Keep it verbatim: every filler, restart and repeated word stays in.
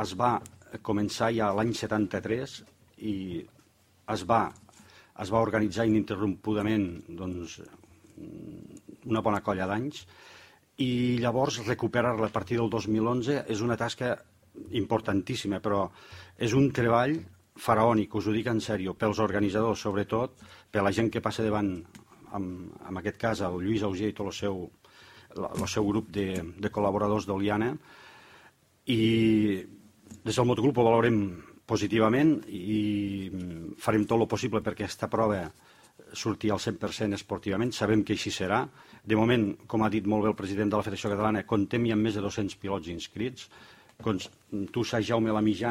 es va començar ja l'any setanta-tres i es va, es va organitzar ininterrompudament doncs, una bona colla d'anys, i llavors recuperar-la a partir del dos mil onze és una tasca importantíssima, però és un treball faraònic, us ho dic en sèrio, pels organitzadors, sobretot per la gent que passa davant, en, en aquest cas el Lluís Auger i tot el seu, el seu grup de, de col·laboradors d'Oliana, i des del Motogrup ho valorem positivament i farem tot el possible perquè aquesta prova surti al cent per cent esportivament. Sabem que així serà. De moment, com ha dit molt bé el president de la Federació Catalana, contem ja amb més de dos-cents pilots inscrits. Tu saps, Jaume, la mitjana